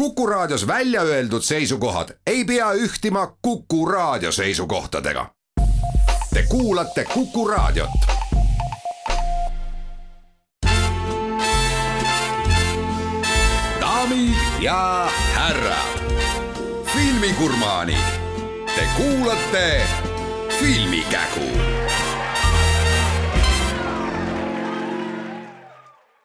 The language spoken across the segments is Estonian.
Kuku Raadios välja öeldud seisukohad ei pea ühtima Kuku Raadio seisukohtadega. Te kuulate Kuku Raadiot. Daamid ja härrad, filmigurmaanid, te kuulate Filmikägu.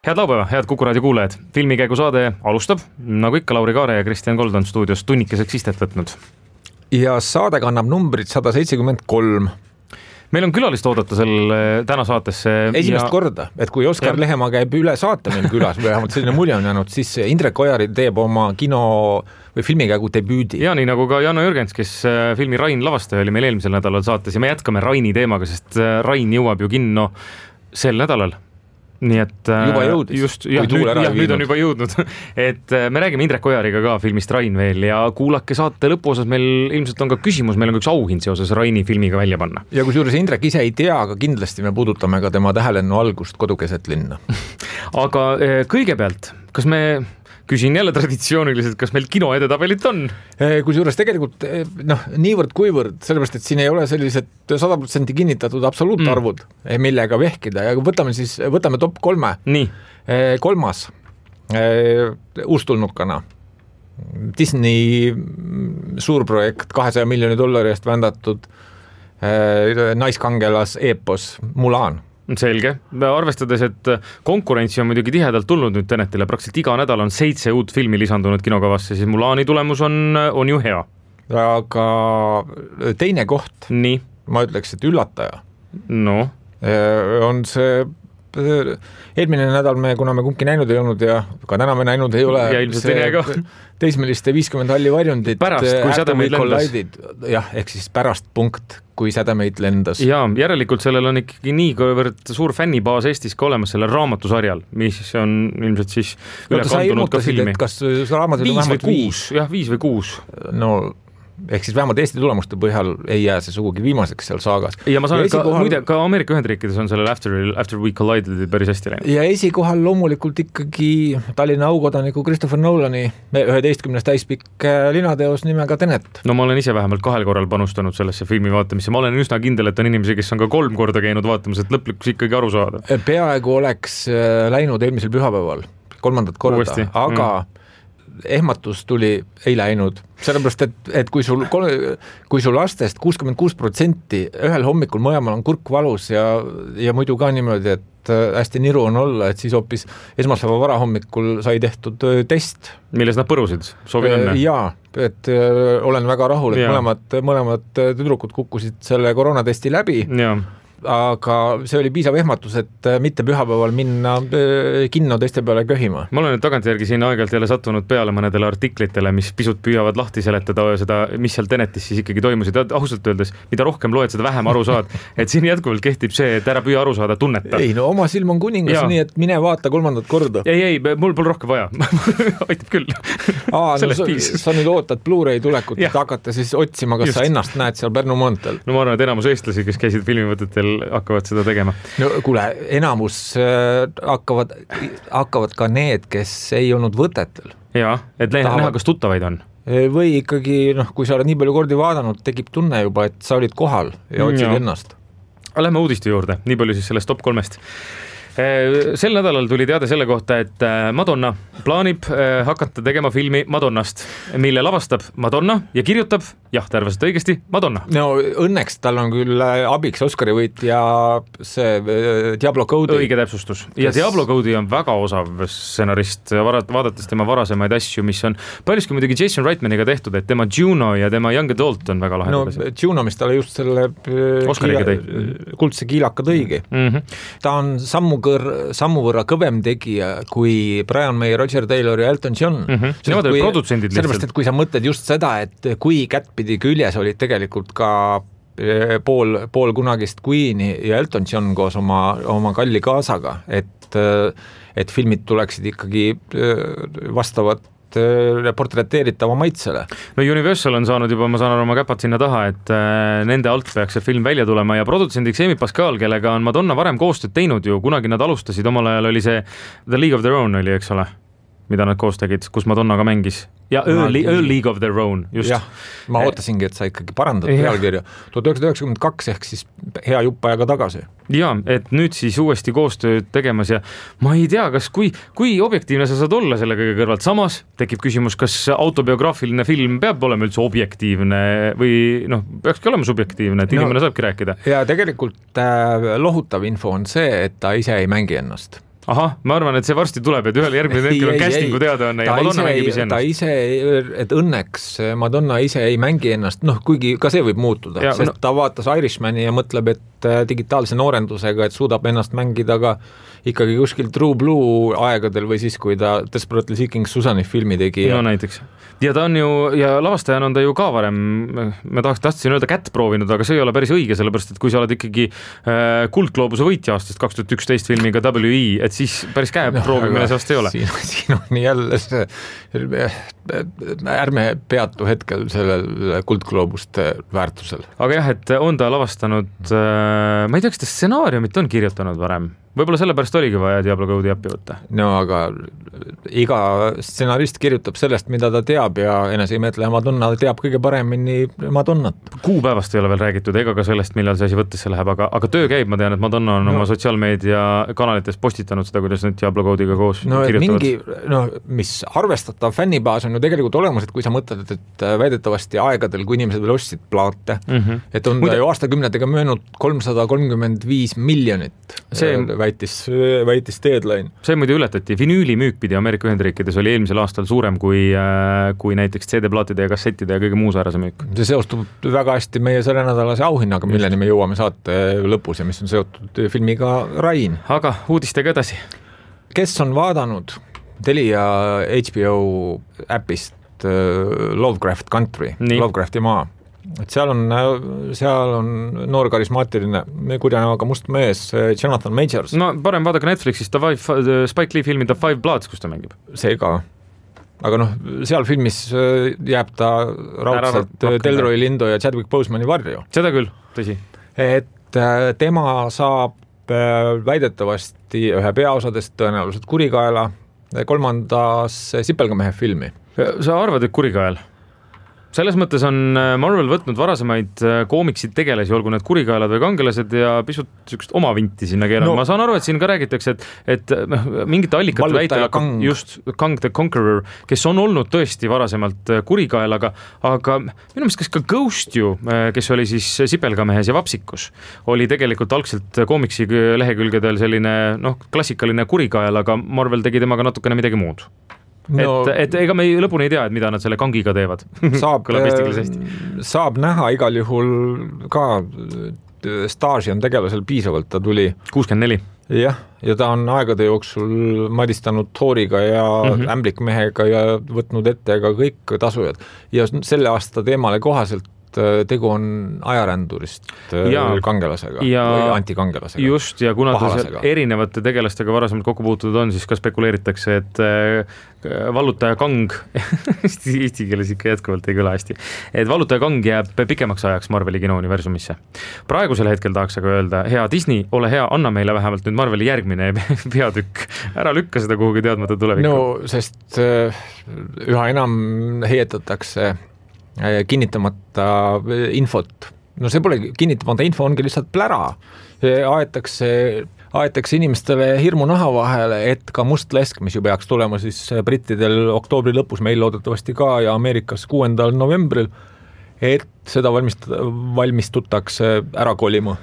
Head laupäeva, head Kuku Raadio kuulajad. Filmikäigu saade alustab, nagu ikka Lauri Kaare ja Kristjan Kold on stuudios tunnikeseks istet võtnud. Ja saade kannab numbrit 173. Meil on külalist oodata täna saatesse. Esimest korda, et kui Oskar Lehemaa käib üle saate meil külas, või vähemalt selline mulje on jäänud, siis Indrek Ojari teeb oma kino või filmikäigu debüüdi. Ja nii nagu ka Janno Jürgens, kes filmi Rain lavastaja oli meil eelmisel nädalal saates ja me jätkame Raini teemaga, sest Rain jõuab ju kinno sel nädalal. Nii et juba jõudis, just, nüüd on juba jõudnud, et me räägime Indrek Ojariga ka filmist Rain veel ja kuulake saate lõpuosas, meil ilmselt on ka küsimus, meil on üks auhind seoses Raini filmiga välja panna. Ja kusjuures Indrek ise ei tea, aga kindlasti me puudutame ka tema tähelennu algust Kodukeset linna. Aga kõigepealt, kas me küsin jälle traditsiooniliselt, kas meil kino edetabelit on? Kusjuures tegelikult niivõrd kuivõrd, sellepärast, et siin ei ole sellised 100% kinnitatud absoluutarvud, millega vehkida ja võtame top 3. Nii. 3. Uustulnukana. Disney suurprojekt, $200 miljoni eest vändatud naiskangelas eepos Mulan. Selge. Arvestades, et konkurentsi on muidugi tihedalt tulnud nüüd Tenetile, praktiliselt iga nädal on 7 uut filmi lisandunud kinokavasse, siis Mulani tulemus on ju hea. Aga teine koht, nii. Ma ütleks, et üllataja. No. On see eelmine nädal kuna me kumbki näinud ei olnud ja ka täna me näinud ei ole teismeliste 50 halli varjundit pärast, kui sädemeid lendas. Jah, ehk siis pärast punkt, kui sädemeid lendas. Ja järelikult sellel on ikkagi nii kõivõrd suur fännibaas Eestis ka olemas selle raamatusarjal, mis on ilmselt siis üle kandunud ka filmi. Kas raamatud on vähemalt 5? Jah, 5 või 6. No ehk siis vähemalt Eesti tulemuste põhjal ei jää see sugugi viimaseks seal saagas. Ja ma saan, muide, ka Ameerika Ühendriikides on sellel After We Collided päris hästi läinud. Ja esikohal loomulikult ikkagi Tallinna aukodaniku Christopher Nolani 11 täispikk linateos nimega Tenet. No ma olen ise vähemalt 2 korral panustanud sellesse filmi vaatamisse. Ma olen üsna kindel, et on inimesi, kes on ka 3 korda käinud vaatamas, et lõplikus ikkagi aru saada. Peaaegu oleks läinud eelmisel pühapäeval 3. korda, uuesti. Aga ehmatus tuli ei läinud, sellepärast, et kui sul lastest 66% ühel hommikul mõlemal on kurk valus ja muidu ka niimoodi, et hästi niru on olla, et siis hoopis esmaspäeva varahommikul sai tehtud test. Milles nad põrusid? Soovin õnne? Jaa, et olen väga rahul, et mõlemad tüdrukud kukkusid selle koroonatesti läbi. Jaa. Aga see oli piisav ehmatus, et mitte pühapäeval minna kinno teiste peale köhima. Ma olen nüüd tagantjärgi siin aegalt jälle sattunud peale mõnedele artiklitele, mis pisut püüavad lahti seletada seda, mis seal Tenetis siis ikkagi toimusid. Ausalt öeldes, mida rohkem loed, seda vähem aru saad. Et siin jätkuvalt kehtib see, et ära püüa aru saada, tunneta. Ei, no oma silm on kuningas, nii et mine vaata 3. korda. Ei, mul pole rohkem vaja. Aitab küll. Sa nüüd ootad Blu-ray tulekut, et hakata siis otsima, kas sa ennast näed seal Pärnu maanteel. No ma arvan, et enamus eestlasi, kes käisid filmivõtetel, hakkavad seda tegema. No kuule, enamus hakkavad ka need, kes ei olnud võtetel. Jaa, et näha, kas tuttavaid on. Või ikkagi, kui sa oled nii palju kordi vaadanud, tekib tunne juba, et sa olid kohal ja otsid ennast. Lähme uudiste juurde, nii palju siis sellest top 3. Sel nädalal tuli teade selle kohta, et Madonna plaanib hakata tegema filmi Madonnast, mille lavastab Madonna ja kirjutab, jah, tervaselt õigesti, Madonna. No õnneks tal on küll abiks Oscari võitja see Diablo Cody. Õige täpsustus. Ja Diablo Cody on väga osav stsenarist, vaadates tema varasemaid asju, mis on paljuski muidugi Jason Reitmaniga tehtud, et tema Juno ja tema Young Adult on väga lahe. No Juno, mis talle just selle kuldse kiilaka tõigi. Ta on sammu võrra kõvem tegija kui Brian May, Roger Taylor ja Elton John. Nemad olid produtsendid lihtsalt. Sellepärast, et kui sa mõtled just seda, et kui kättpidi küljes olid tegelikult ka pool kunagist Queeni ja Elton John koos oma kalli kaasaga, et filmid tuleksid ikkagi vastavat portreteeritava maitsele. No Universal on saanud juba, ma saan aru, oma käpad sinna taha, et nende alt peaks see film välja tulema ja produtsendiks Amy Pascal, kellega on Madonna varem koostööd teinud ju, kunagi nad alustasid, omal ajal oli see The League of Their Own oli, eks ole? mida nad koos tegid, kus Madonna ka mängis ja A League of Their Own, just. Jah, ma ootasingi, et sa ikkagi parandad pealkirja. 1992 ehk siis hea jupp ajaga tagasi. Ja, et nüüd siis uuesti koostööd tegemas ja ma ei tea, kas kui objektiivne sa saad olla selle kõige kõrvalt. Samas tekib küsimus, kas autobiograafiline film peab olema üldse objektiivne või peakski olema subjektiivne, et inimene saabki rääkida. Ja tegelikult lohutav info on see, et ta ise ei mängi ennast. Ahah, ma arvan, et see varsti tuleb, et ühel järgmine hetkel on castingu teadaanne ja Madonna mängib ise ennast. Ta ise, et õnneks Madonna ise ei mängi ennast, kuigi ka see võib muutuda, sest ta vaatas Irishmani ja mõtleb, et digitaalse noorendusega, et suudab ennast mängida ka ikkagi kuskil True Blue aegadel või siis, kui ta Desperately Seeking Susani filmi tegi. No näiteks. Ja ta on ju, ja lavastajana on ta ju ka varem, ma tahtsin öelda kätt proovinud, aga see ei ole päris õige, sellepärast, et kui sa oled ikkagi Kuldgloobuse võitja aastast 2011 filmiga WE, et siis päris käe proovimine sellest ei ole. Siin on jälle see, ärme peatu hetkel sellel Kuldgloobuste väärtusel. Aga jah, et on ta lavastanud, ma ei tea, kas ta stsenaariumit on kirjutanud varem? Võib-olla sellepärast oligi vaja Diablo Code'i appi võtta. No aga iga stsenarist kirjutab sellest, mida ta teab ja eneseimetleja Madonna teab kõige paremini Madonnat. Kuupäevast ei ole veel räägitud ega ka sellest, millal see asi võttesse läheb, aga töö käib, ma tean, et Madonna on oma sotsiaalmeedia kanalites postitanud seda, kuidas nüüd Diablo Code'iga koos kirjutavad. Mis arvestatav fännibaas on ju tegelikult olemas, et kui sa mõtled, et väidetavasti aegadel, kui inimesed veel ostsid plaate, et on ta ju aastakümnetega möönud 335 miljonit väitis Deadline. See muidu ületati. Vinüülimüük pidi Ameerika Ühendriikides oli eelmisel aastal suurem kui näiteks CD-plaatide ja kassettide ja kõige muu säärase müük. See seostub väga hästi meie selle nädalase auhinnaga, milleni me jõuame saate lõpus ja mis on seotud filmiga Rain. Aga uudistega edasi. Kes on vaadanud Telia HBO äpist Lovecraft Country, Lovecrafti maa? Et seal on noor karismaatiline kurjanäoga must mees Jonathan Majors. No parem vaadake Netflixist Spike Lee filmi The Five Bloods, kus ta mängib. See ka. Aga seal filmis jääb ta raudselt Delroy Lindo ja Chadwick Bosemani varju. Seda küll, tõsi. Et tema saab väidetavasti ühe peaosadest tõenäoliselt kurikaela 3. Sipelgamehe filmi. Sa arvad, et kurikael? Selles mõttes on Marvel võtnud varasemaid koomiksid tegelasi, olgu need kurikaelad või kangelased ja pisut sükst oma vinti sinna keeranud. Ma saan aru, et siin ka räägitakse, et mingite allikate väitel just Kang the Conqueror, kes on olnud tõesti varasemalt kurikael, aga minu meelest kas ka Ghost ju, kes oli siis Sipelgamehes ja Vapsikus, oli tegelikult algselt koomiksi lehekülgedel selline klassikaline kurikael, aga Marvel tegi temaga natukene midagi muud. Et ega me lõpuni ei tea, et mida nad selle kangiga teevad. Saab näha igal juhul ka staaži on tegelasel piisavalt, ta tuli 64. Jah, ja ta on aegade jooksul madistanud Thoriga ja Ämblikmehega ja võtnud ette ka kõik tasujad. Ja selle aasta teemale kohaselt tegu on ajarändurist kangelasega või antikangelasega. Just, ja kuna ta erinevate tegelastega varasemalt kokku puutunud on, siis ka spekuleeritakse, et vallutaja Kang eesti keeles ikka jätkuvalt ei kõla hästi, et vallutaja Kang jääb pikemaks ajaks Marveli kinouniversumisse. Praegusel hetkel tahaks aga öelda, hea Disney, ole hea, anna meile vähemalt nüüd Marveli järgmine peatükk, ära lükka seda kuhugi teadmata tulevikku. No, sest üha enam heietatakse kinnitamata infot. No see pole kinnitamata info, ongi lihtsalt plära. Aetakse inimestele hirmu naha vahele, et ka must lesk, mis ju peaks tulema siis brittidel oktoobri lõpus, meil loodetavasti ka ja Ameerikas 6. novembril, et seda valmistutakse ära kolima.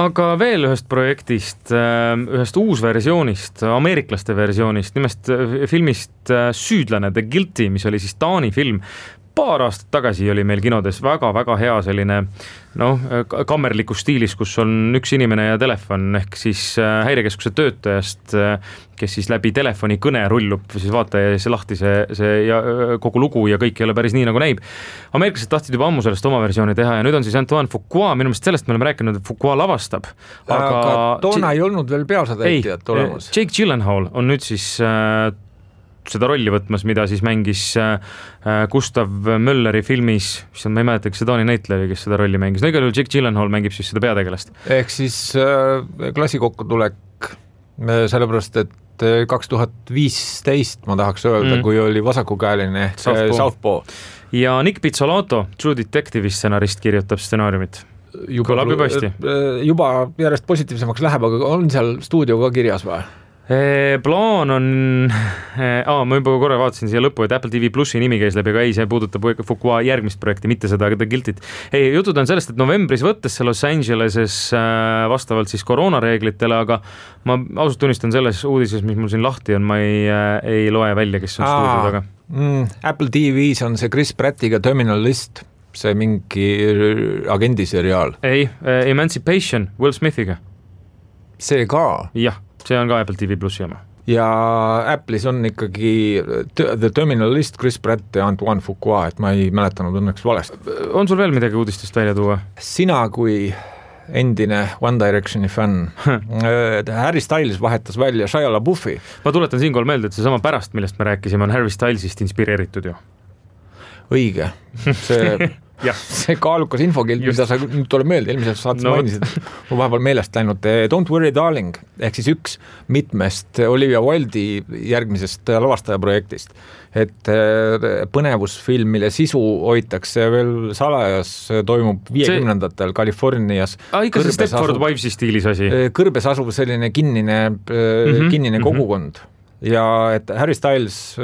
Aga veel ühest projektist, ühest uusversioonist, ameeriklaste versioonist, nimest filmist Süüdlane The Guilty, mis oli siis Taani film. Paar aastat tagasi oli meil kinodes väga-väga hea selline kammerlikus stiilis, kus on üks inimene ja telefon ehk siis häirekeskuse töötajast, kes siis läbi telefoni kõne rullub, siis vaataja see lahti see ja kogu lugu ja kõik ei ole päris nii nagu näib. Ameeriklased tahtsid juba ammu sellest oma versiooni teha ja nüüd on siis Antoine Fuqua, minu meelest sellest me oleme rääkinud, et Fuqua lavastab. Aga toona ei olnud veel peaosatäitjat olemas. Jake Gyllenhaal on nüüd siis seda rolli võtmas, mida siis mängis Gustav Mölleri filmis, ma ei mäleta, kas see Taani näitleja, kes seda rolli mängis. No igal juhul Jake Gyllenhaal mängib siis seda peategelast. Ehk siis klassikokkutulek sellepärast, et 2015 ma tahaks öelda, kui oli vasakukäeline ehk Southpaw. Ja Nick Pizzolato, True Detective'i stsenarist, kirjutab stsenaariumit. Kõlab juba hästi. Juba järjest positiivsemaks läheb, aga on seal stuudio ka kirjas või? Plaan on, ma juba korra vaatasin siia lõppu, et Apple TV Plusi nimi käis läbi, aga ei, see puudutab Fuqua järgmist projekti, mitte seda The Guilty't. Jutud on sellest, et novembris võttes see Los Angeleses vastavalt siis koroonareeglitele, aga ma ausalt tunnistan selles uudises, mis mul siin lahti on, ma ei loe välja, kes on stuudio taga. Apple TV's on see Chris Prattiga Terminal List, see mingi agendiseriaal. Ei, Emancipation Will Smithiga. See ka? Jah. See on ka Apple TV Plusi jama. Ja Apple'is on ikkagi The Terminal List, Chris Pratt ja Antoine Fuqua, et ma ei mäletanud õnneks valesti. On sul veel midagi uudistest välja tuua? Sina kui endine One Directioni fänn, Harry Styles vahetas välja Shia LaBeoufi. Ma tuletan siinkohal meelde, et see sama pärast, millest me rääkisime, on Harry Stylesist inspireeritud ju. Õige. See kaalukas infokild, mida sa nüüd tuleb meelde, eelmiselt saates mainisid, on vahepeal meelest läinud Don't Worry Darling, ehk siis üks mitmest Olivia Wilde'i järgmisest lavastajaprojektist, et põnevusfilm, mille sisu hoitakse veel salajas, toimub 50-ndatel Californias. Ikka see Stepford Wivesi stiilis asi. Kõrbes asuv selline kinnine kogukond ja et Harry Styles,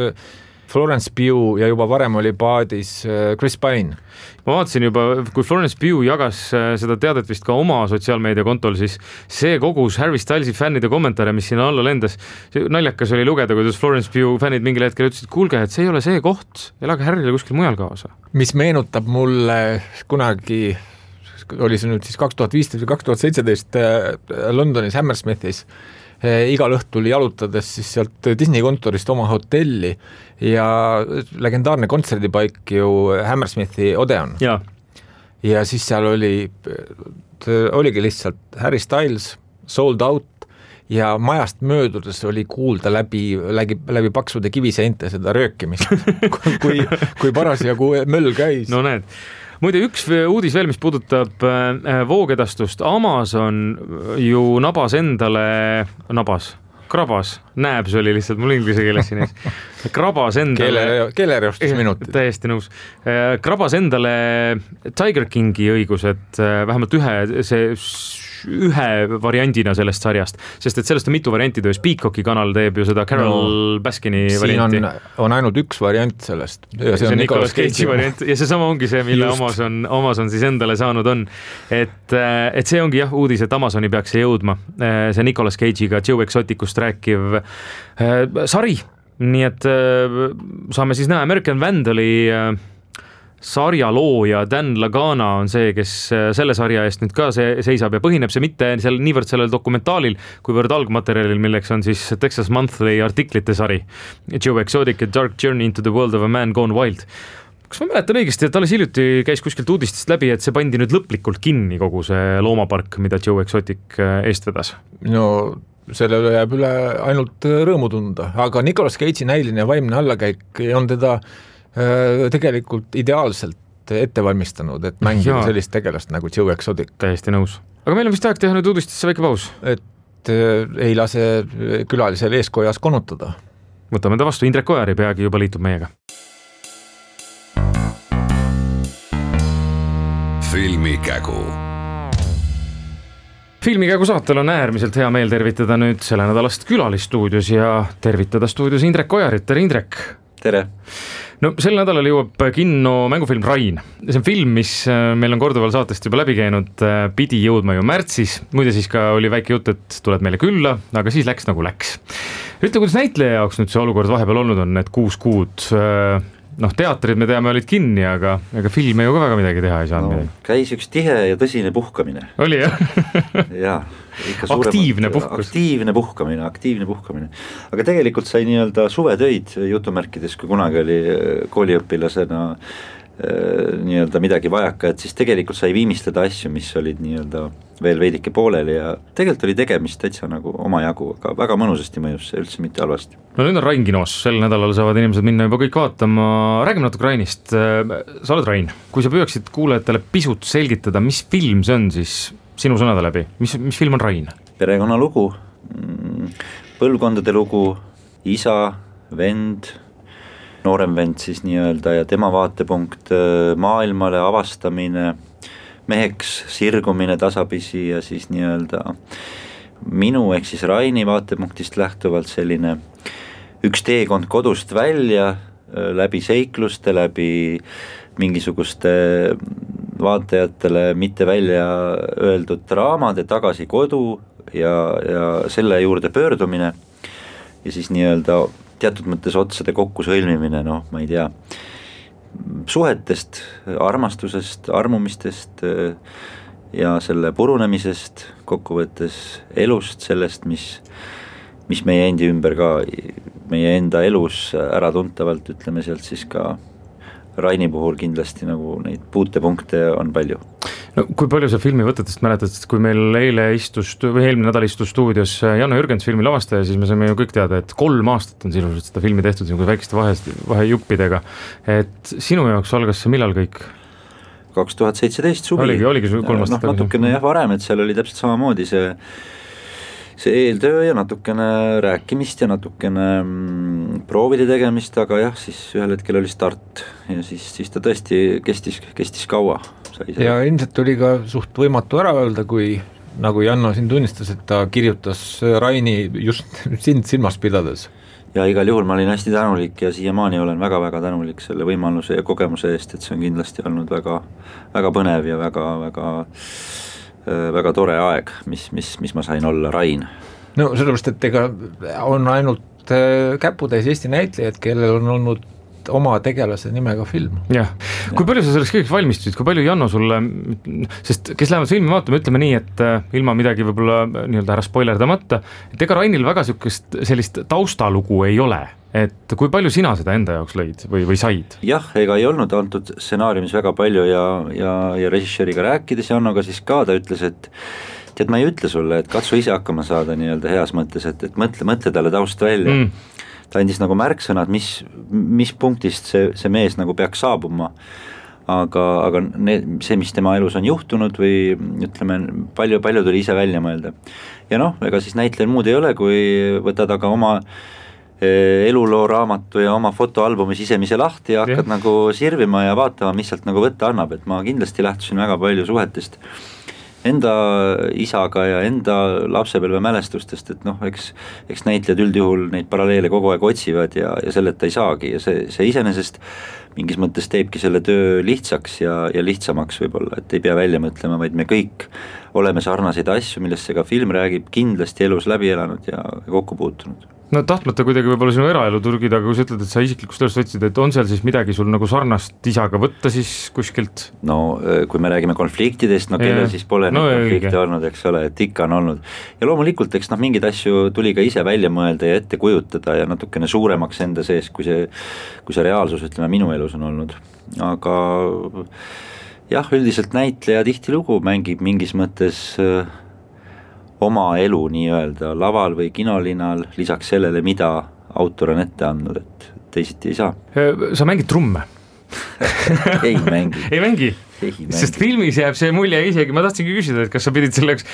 Florence Pugh ja juba varem oli paadis Chris Pine. Ma vaatasin juba, kui Florence Pugh jagas seda teadet vist ka oma sotsiaalmeedia kontol, siis see kogus Harry Stylesi fännide kommentaare, mis sinna alla lendas. Naljakas oli lugeda, kuidas Florence Pugh fännid mingil hetkel ütlesid, kuulge, et see ei ole see koht, elage Harry'le kuskil mujal kaasa. Mis meenutab mulle kunagi, oli see nüüd siis 2015 või 2017 Londonis Hammersmithis, igal õhtul jalutades siis sealt Disney kontorist oma hotelli ja legendaarne kontserdipaik ju Hammersmithi Odeon. Ja siis seal oligi lihtsalt Harry Styles, Sold Out ja majast möödudes oli kuulda läbi paksude kiviseinte seda röökimist, kui parasjagu möll käis. No näed. Muide, üks uudis veel, mis puudutab voogedastust. Amazon ju krabas, näebs oli lihtsalt, mul inglise keeles siin ees. Krabas endale... Keelereostusminutid. Täiesti nõus. Krabas endale Tiger Kingi õigused, vähemalt ühe variandina sellest sarjast, sest et sellest on mitu varianti töös. Peacocki kanal teeb ju seda Carol Baskini varianti. Siin on ainult üks variant sellest. Ja see on Nicolas Cage'i variant ja see sama ongi see, mille Amazon siis endale saanud on. Et see ongi jah uudis, et Amazoni peaks see jõudma. See Nicolas Cage'iga Joe Exoticust rääkiv sari. Nii et saame siis näha American Vandali sarja looja Dan Lagana on see, kes selle sarja eest nüüd ka seisab ja põhineb see mitte niivõrd sellel dokumentaalil, kuivõrd algmaterjalil, milleks on siis Texas Monthly artiklite sari Joe Exotic ja Dark Journey into the World of a Man Gone Wild. Kas ma mäletan õigesti, et alles hiljuti käis kuskilt uudistest läbi, et see pandi nüüd lõplikult kinni kogu see loomapark, mida Joe Exotic eest vedas? No sellele jääb üle ainult rõõmu tunda, aga Nicolas Cage'i näiline ja vaimne allakäik on teda tegelikult ideaalselt ette valmistanud, et mängida sellist tegelast nagu Joe Exotic. Täiesti nõus. Aga meil on vist aeg teha nüüd uudistesse väike paus. Et ei lase külalisel eeskojas konutada. Võtame ta vastu, Indrek Ojaari peagi juba liitub meiega. Filmikägu. Filmikägu saatel on äärmiselt hea meel tervitada nüüd selle nädalast külalistuudios ja tervitada stuudios Indrek Ojarit. Tere, Indrek! Tere! No sel nädalal jõuab kinno mängufilm Rain. See on film, mis meil on korduval saatest juba läbi käinud, pidi jõudma ju märtsis. Muide siis ka oli väike jutt, et tuleb meile külla, aga siis läks nagu läks. Ütle, kuidas näitleja jaoks nüüd see olukord vahepeal olnud on, need 6 kuud? Teatrid me teame olid kinni, aga filme ju ka väga midagi teha ei saanud midagi. Käis üks tihe ja tõsine puhkamine. Oli jah? Jaa. Aktiivne puhkus. Aktiivne puhkamine. Aga tegelikult sai nii-öelda suvetöid jutumärkides, kui kunagi oli kooliõpilasena nii-öelda midagi vajaka, et siis tegelikult sai viimistleda asju, mis olid nii-öelda veel veidike pooleli ja tegelikult oli tegemist täitsa nagu oma jagu, aga väga mõnusasti mõjus see üldse mitte halvasti. No nüüd on Rain kinos, sel nädalal saavad inimesed minna juba kõik vaatama. Räägime natuke Rainist. Sa oled Rain, kui sa püüaksid kuulajatele pisut selgitada, mis film see on siis sinu sõnade läbi, mis film on Rain? Perekonnalugu, põlvkondade lugu, isa, vend, noorem vend siis nii-öelda ja tema vaatepunkt maailmale, avastamine, meheks sirgumine tasapisi ja siis nii-öelda minu ehk siis Raini vaatepunktist lähtuvalt selline üks teekond kodust välja läbi seikluste, läbi mingisuguste vaatajatele mitte välja öeldud draamade tagasi kodu ja selle juurde pöördumine ja siis nii-öelda teatud mõttes otsade kokku sõlmimine, noh, ma ei tea, suhetest, armastusest, armumistest ja selle purunemisest, kokkuvõttes elust, sellest, mis meie endi ümber ka, meie enda elus äratuntavalt, ütleme sealt siis ka Raini puhul kindlasti nagu neid puutepunkte on palju. No kui palju sa filmi võtetest mäletad, kui meil eelmine nädal istus stuudios Janno Jürgens filmi lavastaja, siis me saime ju kõik teada, et 3 aastat on sisuliselt seda filmi tehtud väikeste vahejuppidega, et sinu jaoks algas see millal kõik? 2017 suvi. Oligi 3 aastat. Natukene jah varem, et seal oli täpselt samamoodi see eeltöö ja natukene rääkimist ja natukene proovide tegemist, aga jah, siis ühel hetkel oli start ja siis ta tõesti kestis kaua. Ja ilmselt oli ka suht võimatu ära öelda, kui nagu Janno siin tunnistas, et ta kirjutas Raini just sind silmas pidades. Ja igal juhul ma olin hästi tänulik ja siiamaani olen väga-väga tänulik selle võimaluse ja kogemuse eest, et see on kindlasti olnud väga, väga põnev ja väga tore aeg, mis ma sain olla Rain. No sellepärast, et ega on ainult käputäis Eesti näitlejad, kellel on olnud oma tegelase nimega film. Jah. Kui palju sa selleks kõigeks valmistusid, kui palju Janno sulle, sest kes lähevad filmi vaatama, ütleme nii, et ilma midagi võib-olla nii-öelda ära spoilerdamata, et ega Rainil väga sellist taustalugu ei ole, et kui palju sina seda enda jaoks lõid või said? Jah, ega ei olnud antud stsenaariumis väga palju ja režissööriga rääkides Jannoga siis ka ta ütles, et tead, ma ei ütle sulle, et katsu ise hakkama saada nii-öelda heas mõttes, et mõtle talle taust välja. Ta andis nagu märksõnad, mis punktist see mees nagu peaks saabuma, aga see, mis tema elus on juhtunud või ütleme, palju tuli ise välja mõelda. Ja noh, ega siis näitlejal muud ei ole, kui võtad aga oma eluloo raamatu ja oma fotoalbumi sisemise lahti ja hakkad nagu sirvima ja vaatama, mis sealt nagu võtta annab, et ma kindlasti lähtusin väga palju suhetest enda isaga ja enda lapsepõlve mälestustest, et noh, eks näitlejad üldjuhul neid paralleele kogu aeg otsivad ja selleta ei saagi ja see iseenesest mingis mõttes teebki selle töö lihtsaks ja lihtsamaks võib-olla, et ei pea välja mõtlema, vaid me kõik oleme sarnaseid asju, millest see ka film räägib, kindlasti elus läbi elanud ja kokku puutunud. No tahtmata kuidagi võib-olla sinu eraelu turgida, aga kui sa ütled, et sa isiklikust elust võtsid, et on seal siis midagi sul nagu sarnast isaga võtta siis kuskilt? No kui me räägime konfliktidest, no kellel siis pole neid konflikte olnud, eks ole, et ikka on olnud. Ja loomulikult, eks mingeid asju tuli ka ise välja mõelda ja ette kujutada ja natukene suuremaks enda sees, kui see reaalsus, ütleme, minu elus on olnud. Aga jah, üldiselt näitleja tihtilugu mängib mingis mõttes oma elu nii-öelda laval või kinolinal lisaks sellele, mida autor on ette andnud, et teisiti ei saa. Sa mängid trumme? Ei mängi. Ei mängi? Sest filmis jääb see mulje isegi, ma tahtsingi küsida, et kas sa pidid selleks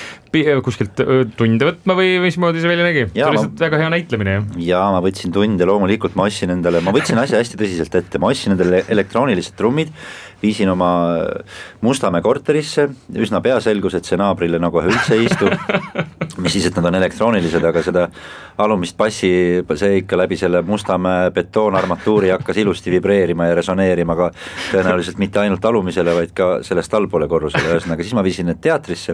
kuskilt tunde võtma või mismoodi see välja nägi? See oli lihtsalt väga hea näitlemine. Ja ma võtsin tunde, loomulikult ma võtsin asja hästi tõsiselt ette, ma ostsin endale elektroonilised trummid, viisin oma Mustamäe korterisse, üsna pea selgus, et see naabrile nagu üldse ei istu, mis siis, et nad on elektroonilised, aga seda alumist bassi, see ikka läbi selle Mustamäe betoonarmatuuri hakkas ilusti vibreerima ja resoneerima ka tõenäoliselt mitte ainult alumisele, vaid ka sellest allpoole korrusele, ühesõnaga siis ma viisin need teatrisse,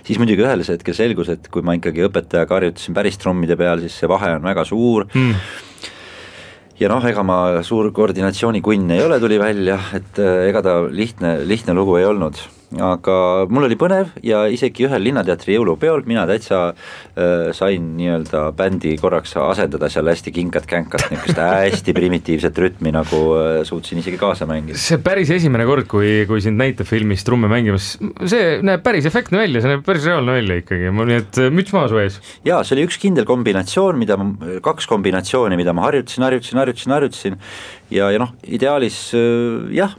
siis muidugi ühel hetkel selgus, et kui ma ikkagi õpetajaga harjutasin päris trummide peal, siis see vahe on väga suur ja noh, ega ma suur koordinatsioonikunn ei ole, tuli välja, et ega ta lihtne lugu ei olnud, aga mul oli põnev ja isegi ühel Linnateatri jõulupeol mina täitsa sain nii-öelda bändi korraks asendada seal hästi kinkat-känkat, niisugust hästi primitiivset rütmi, nagu suutsin isegi kaasa mängida. See päris esimene kord, kui sind näitab filmis trumme mängimas, see näeb päris efektne välja, see näeb päris reaalne välja ikkagi, nii et müts maa su ees. Jaa, see oli üks kindel kombinatsioon, kaks kombinatsiooni, mida ma harjutasin ja noh, ideaalis jah,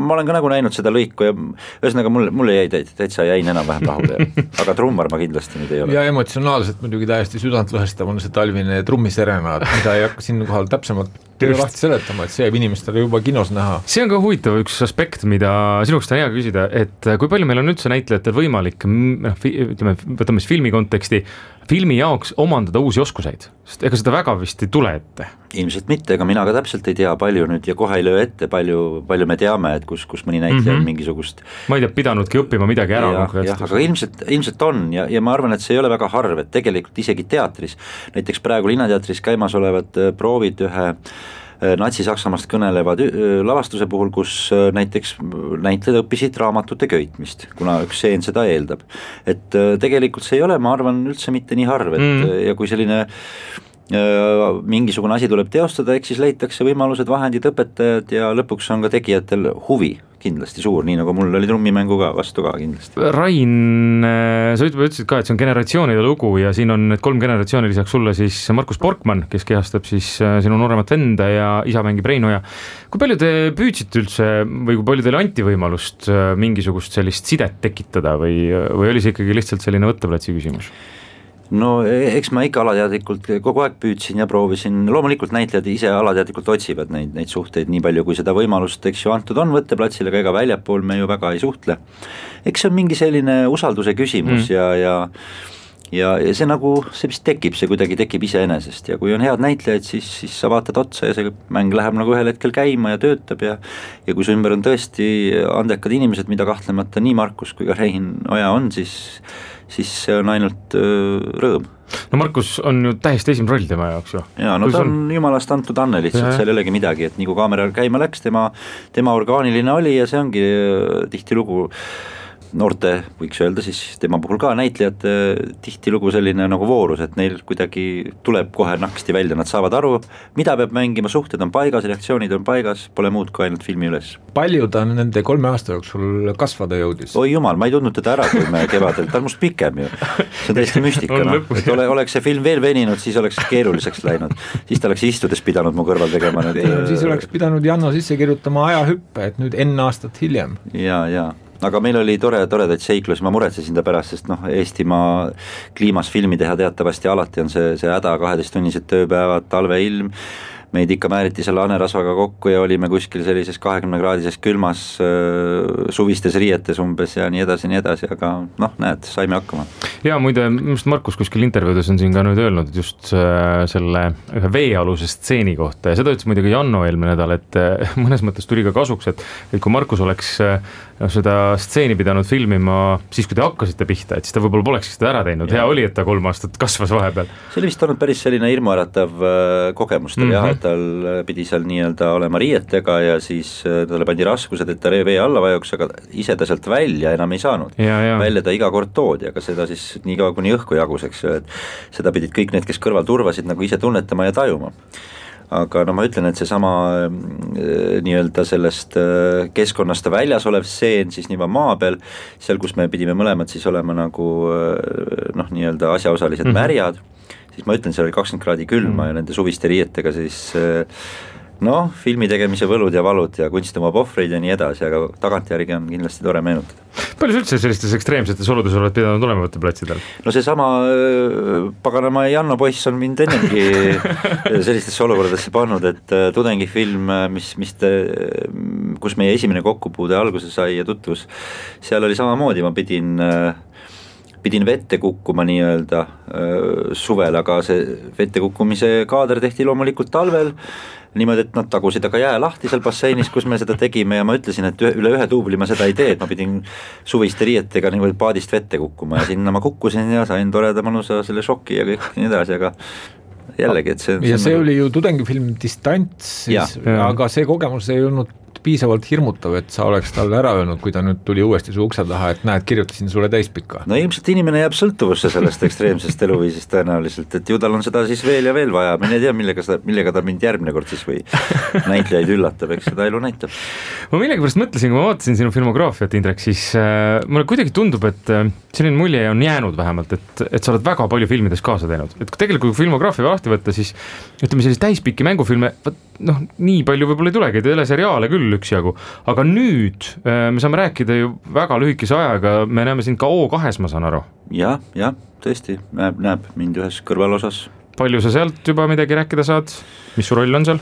ma olen ka nagu näinud seda lõiku ja ühesõnaga mulle jäi täitsa jäin enam-vähem rahule, aga trummar ma kindlasti nüüd ei ole. Ja emotsionaalselt muidugi täiesti südantlõhestav on see talvine trummiserenaad, mida ei hakka siin kohal täpsemalt lahti seletama, et see jääb inimestele juba kinos näha. See on ka huvitav üks aspekt, mida sinukest on hea küsida, et kui palju meil on üldse näitlejatel võimalik, ütleme, võtame siis filmi konteksti, filmi jaoks omandada uusi oskuseid, sest ega seda väga vist ei tule ette. Ilmselt mitte, ega mina ka täpselt ei tea palju nüüd ja kohe ei löö ette, palju me teame, et kus mõni näitleja on mingisugust ma ei tea, pidanudki õppima midagi ära. Aga ilmselt on ja ma arvan, et see ei ole väga harv, et tegelikult isegi teatris, näiteks praegu Linnateatris käimas olevad proovid ühe Natsi-Saksamaast kõnelevad lavastuse puhul, kus näiteks näitlejad õppisid raamatute köitmist, kuna üks seen seda eeldab. Et tegelikult see ei ole, ma arvan, üldse mitte nii harv, et ja kui selline mingisugune asi tuleb teostada, eks siis leitakse võimalused, vahendid, õpetajad ja lõpuks on ka tegijatel huvi kindlasti suur, nii nagu mul oli trummimängu ka vastu ka kindlasti. Rain, sa ütlesid ka, et see on generatsioonide lugu ja siin on need 3 generatsiooni lisaks sulle siis Markus Porkmann, kes kehastab siis sinu nooremat venda ja isa mängib Reinoja. Kui palju te püüdsite üldse või kui palju teile anti võimalust mingisugust sellist sidet tekitada või oli see ikkagi lihtsalt selline võtteplatsi küsimus? No eks ma ikka alateadlikult kogu aeg püüdsin ja proovisin, loomulikult näitlejad ise alateadlikult otsivad neid suhteid nii palju, kui seda võimalust, eks ju, antud on võtteplatsile, aga ega väljapool me ju väga ei suhtle. Eks see on mingi selline usalduse küsimus ja see nagu, see vist tekib, see kuidagi tekib iseenesest ja kui on head näitlejad, siis sa vaatad otsa ja see mäng läheb nagu ühel hetkel käima ja töötab ja kui su ümber on tõesti andekad inimesed, mida kahtlemata nii Markus kui ka Rein Oja on, siis see on ainult rõõm. No Markus on ju täiesti esimene roll tema jaoks ju. Jaa, no ta on jumalast antud Anne lihtsalt, seal ei olegi midagi, et nii kui kaamera käima läks, tema orgaaniline oli ja see ongi tihtilugu noorte, võiks öelda siis tema puhul ka näitlejad tihtilugu selline nagu voorus, et neil kuidagi tuleb kohe naksti välja, nad saavad aru, mida peab mängima, suhted on paigas, reaktsioonid on paigas, pole muud kui ainult filmi üles. Palju ta nende 3 aasta jooksul kasvada jõudis? Oi jumal, ma ei tundnud teda ära, kui me kevadel, ta on must pikem ju, see on täiesti müstika, no. Et oleks see film veel veninud, siis oleks keeruliseks läinud, siis ta oleks istudes pidanud mu kõrval tegema siis oleks pidanud Janno sisse kirjutama ajahüppe, et nüüd N aastat hiljem. Ja aga meil oli toredaid seiklusi, ma muretsesin ta pärast, sest Eestimaa kliimas filmi teha teatavasti alati on see häda, 12-tunnised tööpäevad, talveilm, meid ikka määriti selle hanerasvaga kokku ja olime kuskil sellises 20-kraadises külmas suvistes riietes umbes ja nii edasi, aga näed, saime hakkama. Ja muide, Markus kuskil intervjuudes on siin ka nüüd öelnud, et just selle ühe veealuse stseeni kohta ja seda ütles muidugi Janno eelmine nädal, et mõnes mõttes tuli ka kasuks, et kui Markus oleks seda stseeni pidanud filmima siis, kui te hakkasite pihta, et siis ta võib-olla poleks seda ära teinud, hea oli, et ta 3 aastat kasvas vahepeal. See oli vist olnud päris selline hirmuäratav kogemus tal jah, et tal pidi seal nii-öelda olema riietega ja siis talle pandi raskused, et ta vee alla vajuks, aga ise ta sealt välja enam ei saanud. Välja ta iga kord toodi, aga seda siis nii kaua kuni õhku jagus, et seda pidid kõik need, kes kõrval turvasid, nagu ise tunnetama ja tajuma. Aga ma ütlen, et see sama nii-öelda sellest keskkonnast väljas olev seen siis nii maa peal, seal kus me pidime mõlemad siis olema nagu nii-öelda asjaosalised märjad, siis ma ütlen, seal oli 20 kraadi külma ja nende suviste riietega siis filmi tegemise võlud ja valud ja kunst omab ohvreid ja nii edasi, aga tagantjärgi on kindlasti tore meenutada. Palju üldse sellistes ekstreemsetes oludes oled pidanud olema võtteplatsidel? No see sama paganama Janno poiss on mind ennemgi sellistesse olukordadesse pannud, et tudengifilm, kus meie esimene kokkupuude alguse sai ja tutvus, seal oli samamoodi, ma pidin vette kukkuma nii-öelda suvel, aga see vette kukkumise kaader tehti loomulikult talvel, niimoodi, et nad tagusid aga jää lahti seal basseinis, kus me seda tegime ja ma ütlesin, et üle 1 tuubli ma seda ei tee, et ma pidin suviste riietega niimoodi paadist vette kukkuma ja sinna ma kukkusin ja sain toreda mõnusa selle šoki ja kõik nii edasi, aga jällegi, et see oli ju tudengifilm Distants, aga see kogemus ei olnud piisavalt hirmutav, et sa oleks talle ära öelnud, kui ta nüüd tuli uuesti su ukse taha, et näed, kirjutasin sulle täispikka. No ilmselt inimene jääb sõltuvusse sellest ekstreemsest eluviisist tõenäoliselt, et ju tal on seda siis veel ja veel vaja, ma ei tea, millega ta mind järgmine kord siis või näitlejaid üllatab, eks seda elu näitab. Ma millegipärast mõtlesin, kui ma vaatasin sinu filmograafiat, Indrek, siis mulle kuidagi tundub, et selline mulje on jäänud vähemalt, et sa oled väga palju filmides kaasa teinud, et tegelikult kui filmograafia lahti võtta, siis ütleme sellise täispikki mängufilme, nii palju võib-olla ei tulegi, teleseriaale küll küll üksjagu, aga nüüd me saame rääkida ju väga lühikese ajaga, me näeme sind ka O2-s, ma saan aru. jah, tõesti, näeb mind ühes kõrvalosas. Palju sa sealt juba midagi rääkida saad, mis su roll on seal?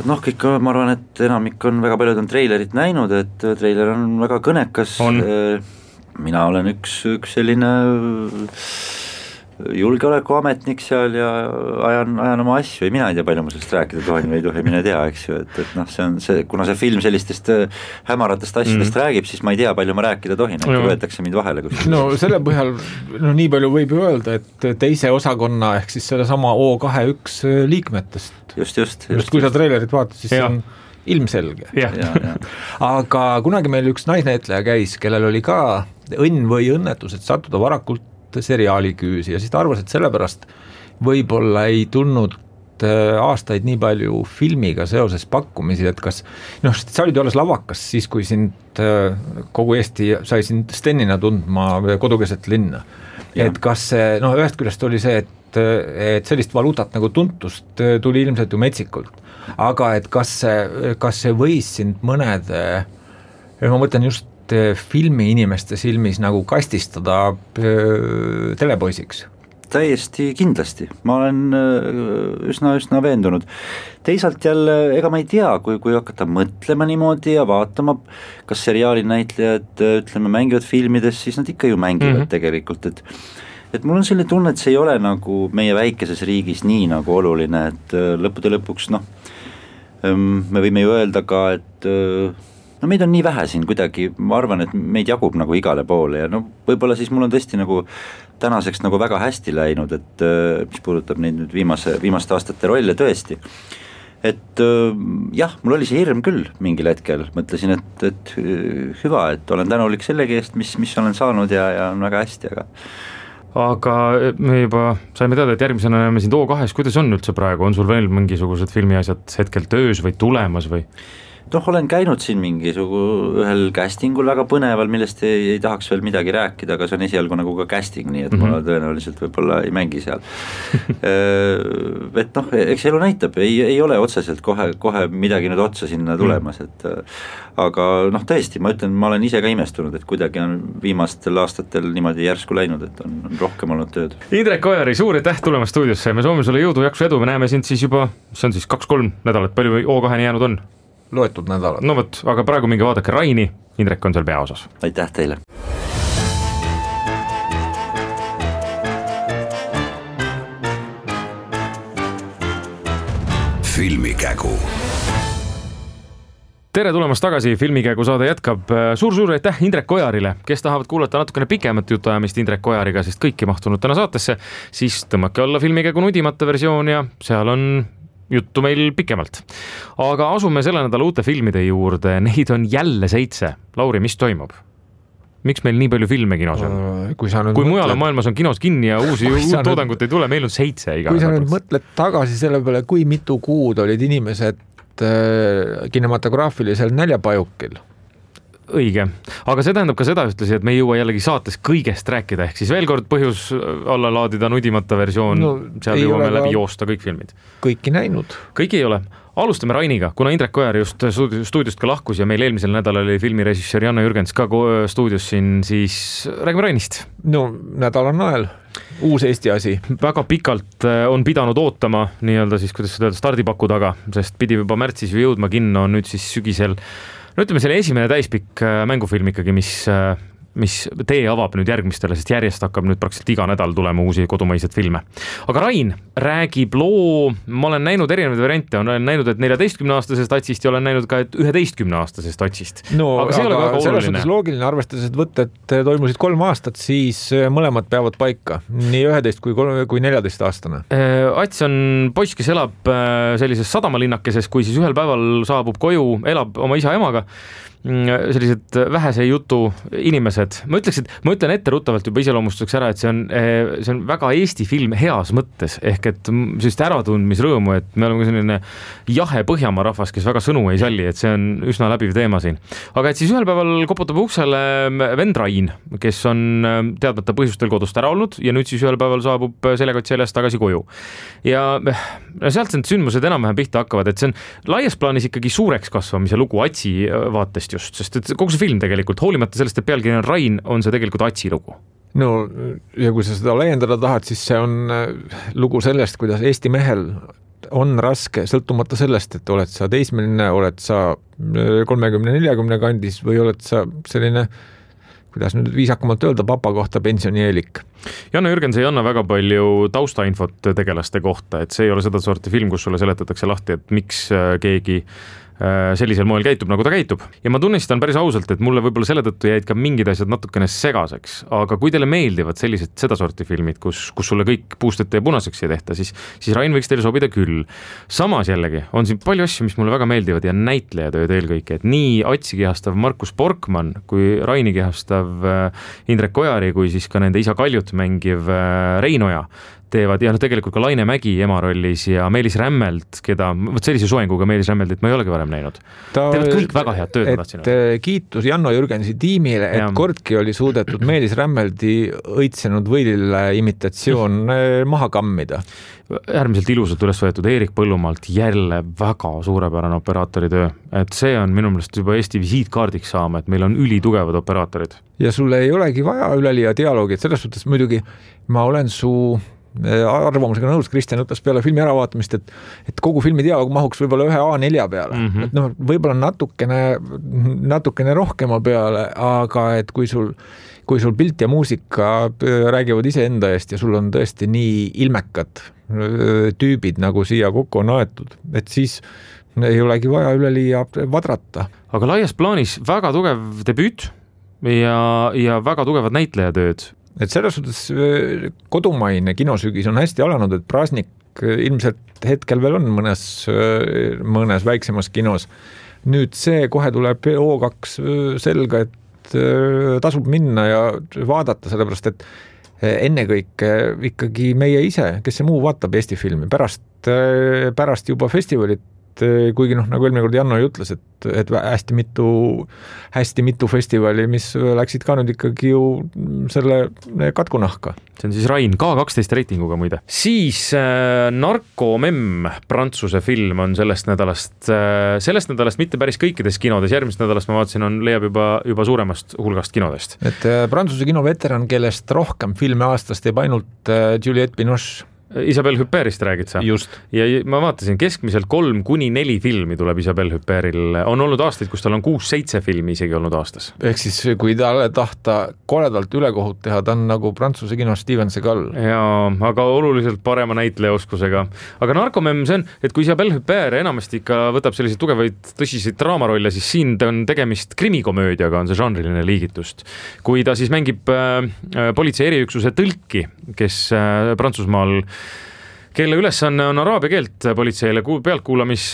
Noh, kõik, ma arvan, et enamik on, väga paljud on treilerit näinud, et treiler on väga kõnekas. Mina olen üks selline julgeolekuametnik seal ja ajan oma asju ja mina ei tea, palju ma sellest rääkida tohin või ei tohi, mine tea, eks ju, et noh, see on see, kuna see film sellistest hämaratest asjadest räägib, siis ma ei tea, palju ma rääkida tohin, et võetakse mind vahele kuskil. No selle põhjal, nii palju võib ju öelda, et teise osakonna ehk siis selle sama O2-1 liikmetest. Just. Kui sa treilerit vaatad, siis see on ilmselge. Aga kunagi meil üks naisnäitleja käis, kellel oli ka õnn või õnnetus, et sattuda varakult seriaali küüsi ja siis ta arvas, et sellepärast võib-olla ei tulnud aastaid nii palju filmiga seoses pakkumisi, et kas, sa olid ju alles lavakas siis, kui sind kogu Eesti sai sind Stenina tundma kodukeset linna. Et kas see, ühest küljest oli see, et sellist valuutat nagu tuntust tuli ilmselt ju metsikult, aga et kas see võis sind mõnede, ma mõtlen just filmi inimeste silmis nagu kastistada telepoisiks? Täiesti kindlasti, ma olen üsna veendunud. Teisalt jälle, ega ma ei tea, kui hakata mõtlema niimoodi ja vaatama, kas seriaali näitlejad, ütleme, mängivad filmides, siis nad ikka ju mängivad tegelikult, et mul on selline tunne, et see ei ole nagu meie väikeses riigis nii nagu oluline, et lõppude lõpuks, me võime ju öelda ka, et meid on nii vähe siin kuidagi, ma arvan, et meid jagub nagu igale poole ja võib-olla siis mul on tõesti nagu tänaseks nagu väga hästi läinud, et mis puudutab neid nüüd viimaste aastate rolle tõesti. Et jah, mul oli see hirm küll mingil hetkel, mõtlesin, et hüva, et olen tänulik sellegi eest, mis olen saanud ja on väga hästi, aga me juba saime teada, et järgmisena näeme sind O2-s, kuidas on üldse praegu, on sul veel mingisugused filmiasjad hetkel töös või tulemas või? Olen käinud siin ühel castingul väga põneval, millest ei tahaks veel midagi rääkida, aga see on esialgu nagu ka casting, nii et ma tõenäoliselt võib-olla ei mängi seal. Et eks elu näitab, ei ole otseselt kohe midagi nüüd otsa sinna tulemas, et aga tõesti, ma ütlen, ma olen ise ka imestunud, et kuidagi on viimastel aastatel niimoodi järsku läinud, et on rohkem olnud tööd. Indrek Ojari, suur aitäh tulemast stuudiosse, me soovime sulle jõudu, jaksu, edu, me näeme sind siis juba, see on siis 2-3 nädalat, palju O2-ni jäänud on? Loetud nädalad. No võt, aga praegu minge vaadake Raini, Indrek on seal peaosas. Aitäh teile. Filmikägu. Tere tulemast tagasi, Filmikägu saade jätkab. Suur aitäh Indrek Ojarile, kes tahavad kuulata natukene pikemat jutuajamist Indrek Ojariga, sest kõiki mahtunud täna saatesse, siis tõmmake alla Filmikägu nudimata versioon ja seal on juttu meil pikemalt. Aga asume selle nädala uute filmide juurde, neid on jälle 7. Lauri, mis toimub? Miks meil nii palju filme kinos on? Kui mujal maailmas on kinos kinni ja uut toodangut ei tule, meil on 7 iga. Kui sa nüüd mõtled tagasi selle peale, kui mitu kuud olid inimesed kinematograafilisel näljapajukil? Õige, aga see tähendab ka seda ühtlasi, et me ei jõua jällegi saates kõigest rääkida, ehk siis veel kord põhjus alla laadida nudimata versioon, seal jõuame läbi joosta kõik filmid. Kõiki näinud. Kõik ei ole. Alustame Rainiga, kuna Indrek Ojar just stuudiost ka lahkus ja meil eelmisel nädalal oli filmirežissöör Janno Jürgens ka stuudios siin, siis räägime Rainist. Nädal on nael. Uus Eesti asi. Väga pikalt on pidanud ootama nii-öelda siis, kuidas seda öelda, stardipaku taga, sest pidi juba märtsis ju jõudma kinno, nüüd siis sügisel. Ütleme selle esimene täispikk mängufilm ikkagi, mis tee avab nüüd järgmistele, sest järjest hakkab nüüd praktiliselt iga nädal tulema uusi kodumaised filme. Aga Rain räägib loo, ma olen näinud erinevaid variante, olen näinud, et 14-aastasest tatsist ja olen näinud ka, et 11-aastasest tatsist. Aga see ei ole väga oluline. Loogiline arvestades, et võtted toimusid 3 aastat, siis mõlemad peavad paika, nii 11 kui 14-aastane. Ats on poiss, kes elab sellises sadamalinnakeses, kui siis ühel päeval saabub koju, elab oma isa-emaga sellised vähese jutu inimesed. Ma ütlen etteruttavalt juba iseloomustuseks ära, et see on väga Eesti film heas mõttes, ehk et sellist äratundmisrõõmu, et me oleme selline jahe Põhjamaa rahvas, kes väga sõnu ei salli, et see on üsna läbiv teema siin. Aga et siis ühel päeval koputab uksele vend Rain, kes on teadmata põhjustel kodust ära olnud ja nüüd siis ühel päeval saabub seljakott seljas tagasi koju. Ja sealt need sündmused enam-vähem pihta hakkavad, et see on laias plaanis ikkagi suureks kasvamise lugu Atsi vaatest just, sest et kogu see film tegelikult, hoolimata sellest, et pealkiri on Rain, on see tegelikult Atsi lugu. No ja kui sa seda laiendada tahad, siis see on lugu sellest, kuidas Eesti mehel on raske, sõltumata sellest, et oled sa teismeline, oled sa 30-40 kandis või oled sa selline, kuidas nüüd viisakamalt öelda, papa kohta pensionieelik. Janno Jürgens ei anna väga palju taustainfot tegelaste kohta, et see ei ole seda sorti film, kus sulle seletatakse lahti, et miks keegi sellisel moel käitub, nagu ta käitub. Ja ma tunnistan päris ausalt, et mulle võib-olla selle tõttu jäid ka mingid asjad natukene segaseks, aga kui teile meeldivad sellised seda sorti filmid, kus sulle kõik puustete ja punaseks ei tehta, siis Rain võiks teile sobida küll. Samas jällegi on siin palju asju, mis mulle väga meeldivad ja näitlejatööd eelkõike, et nii Atsi kehastav Markus Borkmann kui Raini kehastav Indrek Ojari, kui siis ka nende isa Kaljut mängiv Rein Oja teevad ja tegelikult ka Laine Mägi ema rollis ja Meelis Rämmelt, keda, sellise soenguga Meelis Rämmeldit ma ei olegi varem näinud. Teevad kõik väga head tööd. Kiitus Janno Jürgensi tiimile, et kordki oli suudetud Meelis Rämmeldi õitsenud võilile imitatsioon maha kammida. Äärmiselt ilusalt üles võetud Eerik Põllumaalt jälle väga suurepärane operaatoritöö, et see on minu meelest juba Eesti visiitkaardiks saama, et meil on ülitugevad operaatorid. Ja sulle ei olegi vaja üleliia dialoogi, et selles suhtes muidugi ma olen su arvamusega nõus, Kristjan ütles peale filmi äravaatamist, et kogu filmi dialoog mahuks võib-olla ühe A4 peale. Et võib-olla natukene rohkema peale, aga et kui sul pilt ja muusika räägivad iseenda eest ja sul on tõesti nii ilmekad tüübid, nagu siia kokku on aetud, et siis ei olegi vaja üleliia vadrata. Aga laias plaanis väga tugev debüüt ja väga tugevad näitlejatööd. Et selles suhtes kodumaine kinosügis on hästi alanud, et Praasnik ilmselt hetkel veel on mõnes väiksemas kinos. Nüüd see kohe tuleb O2 selga, et tasub minna ja vaadata, sellepärast et ennekõike ikkagi meie ise, kes see muu vaatab Eesti filmi, pärast juba festivalit, kuigi nagu eelmine kord Janno ütles, et hästi mitu festivali, mis läksid ka nüüd ikkagi ju selle katkunahka. See on siis Rain, K12 reitinguga muide. Siis Narkomemm, Prantsuse film on sellest nädalast mitte päris kõikides kinodes, järgmist nädalast ma vaatasin, leiab juba suuremast hulgast kinodest. Et Prantsuse kinoveteran, kellest rohkem filme aastast teeb ainult Juliette Binoche. Isabelle Hupperist räägid sa? Just. Ja ma vaatasin, keskmiselt 3-4 filmi tuleb Isabelle Hupperil. On olnud aastaid, kus tal on 6-7 filmi isegi olnud aastas. Ehk siis, kui talle tahta koledalt ülekohut teha, ta on nagu Prantsuse kino Steven Seagal. Jaa, aga oluliselt parema näitlejaoskusega. Aga Narkomemm see on, et kui Isabelle Hupper enamasti ikka võtab selliseid tugevaid tõsiseid draamarolle, siis siin on tegemist krimikomöödiaga, on see žanriline liigitust. Kui ta siis mängib politsei eriüksuse tõlki, kes Prantsusmaal, kelle ülesanne on araabia keelt politseile pealtkuulamis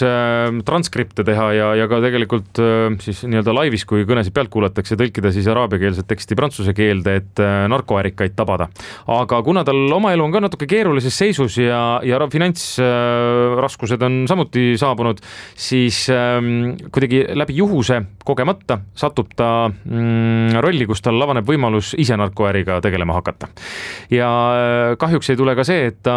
transkripte teha ja ka tegelikult siis nii-öelda laivis, kui kõnesid pealt kuulatakse, tõlkida siis araabiakeelset teksti prantsuse keelde, et narkoärikaid tabada. Aga kuna tal oma elu on ka natuke keerulises seisus ja finantsraskused on samuti saabunud, siis kuidagi läbi juhuse kogemata satub ta rolli, kus tal avaneb võimalus ise narkoäriga tegelema hakata. Ja kahjuks ei tule ka see, et ta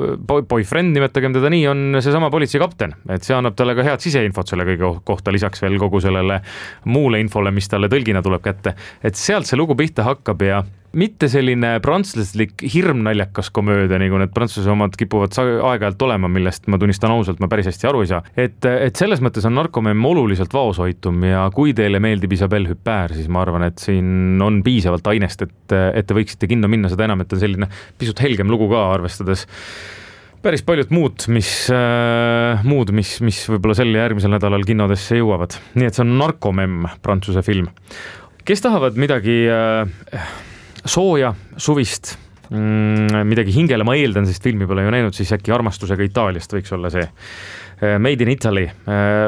boyfriend, nimetagem teda nii, on seesama politseikapten, et see annab talle ka head siseinfot selle kõige kohta, lisaks veel kogu sellele muule infole, mis talle tõlgina tuleb kätte, et sealt see lugu pihta hakkab ja mitte selline prantslaslik hirmnaljakas komöödia, nagu need prantsuse omad kipuvad aeg-ajalt olema, millest ma tunnistan ausalt, ma päris hästi aru ei saa. Et selles mõttes on Narkomemm oluliselt vaoshoitum ja kui teile meeldib Isabelle Hupper, siis ma arvan, et siin on piisavalt ainest, et te võiksite kinno minna, seda enam, et on selline pisut helgem lugu ka, arvestades päris paljud muud, mis võib-olla sel järgmisel nädalal kinnodesse jõuavad. Nii et see on Narkomemm, Prantsuse film. Kes tahavad midagi sooja, suvist, midagi hingele, ma eeldan, sest filmi pole ju näinud, siis äkki Armastusega Itaaliast võiks olla see. Made in Italy,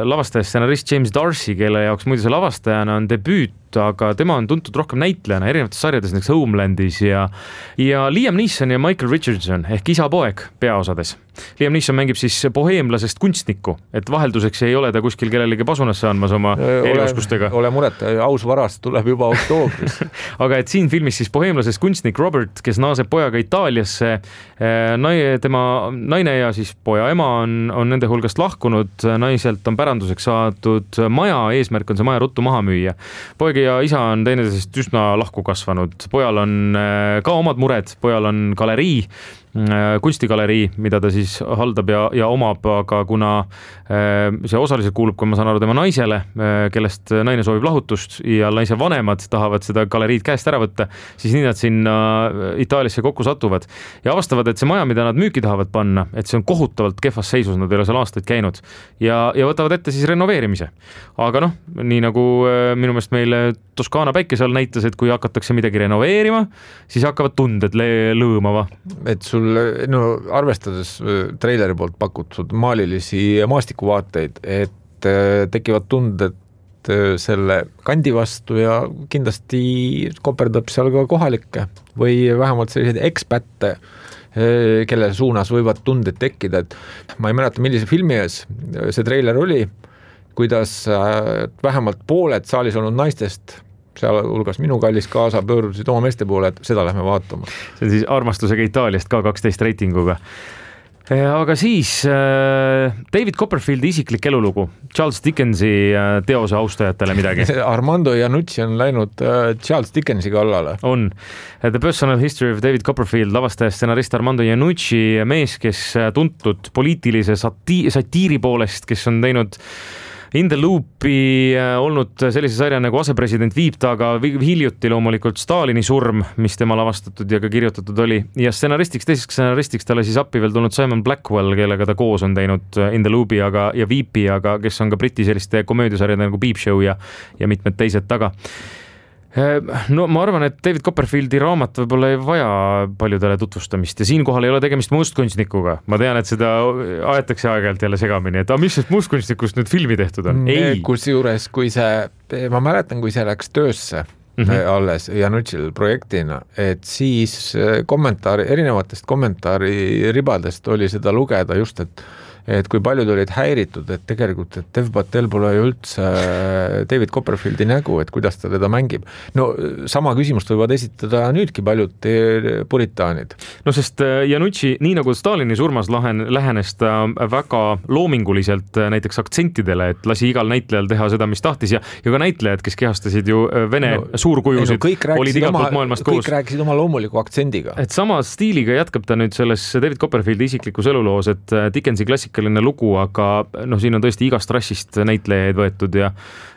lavastaja stsenarist James Darcy, kelle jaoks muidu see lavastajana on debüüt, aga tema on tuntud rohkem näitlejana erinevates sarjades, näiteks Homelandis ja Liam Neeson ja Michael Richardson ehk isa-poeg peaosades. Liam Neeson mängib siis boheemlasest kunstnikku, et vahelduseks ei ole ta kuskil kellelegi pasunasse andmas oma erioskustega. Ole muret, aus varast tuleb juba oktoobris. Aga et siin filmis siis boheemlasest kunstnik Robert, kes naaseb pojaga Itaaliasse, tema naine ja siis poja ema on nende hulgast lahkunud, naiselt on päranduseks saadud maja, eesmärk on see maja ruttu maha müüa. Poeg ja isa on teineteisest üsna lahku kasvanud, pojal on ka omad mured, pojal on galerii, kunstigalerii, mida ta siis haldab ja omab, aga kuna see osaliselt kuulub, kui ma saan aru, tema naisele, kellest naine soovib lahutust ja naise vanemad tahavad seda galeriid käest ära võtta, siis nii nad sinna Itaaliasse kokku satuvad ja avastavad, et see maja, mida nad müüki tahavad panna, et see on kohutavalt kehvas seisus, nad ei ole seal aastaid käinud ja võtavad ette siis renoveerimise. Aga nii nagu minu meelest meile Toskaana päikese all näitas, et kui hakatakse midagi renoveerima, siis hakkavad tunded lõõmava. Et sul arvestades treileri poolt pakutud maalilisi maastikuvaateid, et tekivad tunded selle kandi vastu ja kindlasti koperdab seal ka kohalikke või vähemalt selliseid ekspätte, kelle suunas võivad tunded tekkida, et ma ei mäleta, millise filmi ees see treiler oli, kuidas vähemalt pooled saalis olnud naistest, seal hulgas minu kallis kaasa, pöördusid oma meeste poole, et seda lähme vaatama. See on siis armastusega Itaaliast ka 12 reitinguga. Aga siis David Copperfieldi isiklik elulugu, Charles Dickensi teose austajatele midagi. Armando Iannucci on läinud Charles Dickensi kallale. On. The Personal History of David Copperfield, lavastaja stsenarist Armando Iannucci, mees, kes tuntud poliitilise satiiri poolest, kes on teinud In the Loopi olnud sellise sarja nagu Asepresident viib taga, hiljuti loomulikult Stalini surm, mis tema lavastatud ja ka kirjutatud oli. Ja teiseks stsenaristiks talle siis appi veel tulnud Simon Blackwell, kellega ta koos on teinud In the Loopi ja Viipi, aga kes on ka briti selliste komöödiasarjade nagu Peep Show ja mitmed teised taga. No ma arvan, et David Copperfieldi raamat võib-olla ei vaja paljudele tutvustamist ja siinkohal ei ole tegemist mustkunstnikuga. Ma tean, et seda aetakse aeg-ajalt jälle segamini, et mis sest mustkunstnikust nüüd filmi tehtud on? Ei. Kusjuures, ma mäletan, kui see läks töösse alles Iannucci'l projektina, et siis erinevatest kommentaariribadest oli seda lugeda just, et kui paljud olid häiritud, et tegelikult, et Dev Patel pole ju üldse David Copperfieldi nägu, et kuidas ta teda mängib. No sama küsimust võivad esitada nüüdki paljud puritaanid. No sest Iannucci, nii nagu Stalini surmas lähenes ta väga loominguliselt näiteks aktsentidele, et lasi igal näitlejal teha seda, mis tahtis ja ka näitlejad, kes kehastasid ju Vene suurkujusid, olid igalt poolt maailmast koos. Kõik rääkisid oma loomuliku aktsendiga. Et sama stiiliga jätkab ta nüüd selles David Copperfieldi isiklikus eluloos, et Dickensi klassikaline lugu, aga siin on tõesti igast rassist näitlejaid võetud ja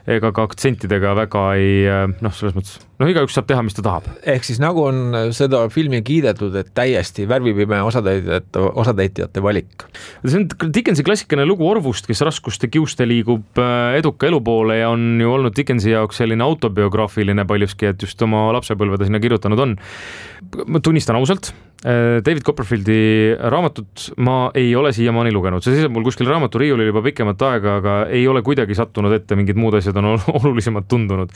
ega ka aktsentidega väga ei, selles mõttes, igaüks saab teha, mis ta tahab. Ehk siis nagu on seda filmi kiidetud, et täiesti värvipime osatäitjate valik. See on Dickensi klassikaline lugu orvust, kes raskuste kiuste liigub eduka elu poole ja on ju olnud Dickensi jaoks selline autobiograafiline paljuski, et just oma lapsepõlveda sinna kirjutanud on. Ma tunnistan ausalt, David Copperfieldi raamatut ma ei ole siiamaani lugenud. See seisab mul kuskil raamaturiiulil juba pikemat aega, aga ei ole kuidagi sattunud ette, mingid muud asjad on olulisemad tundunud.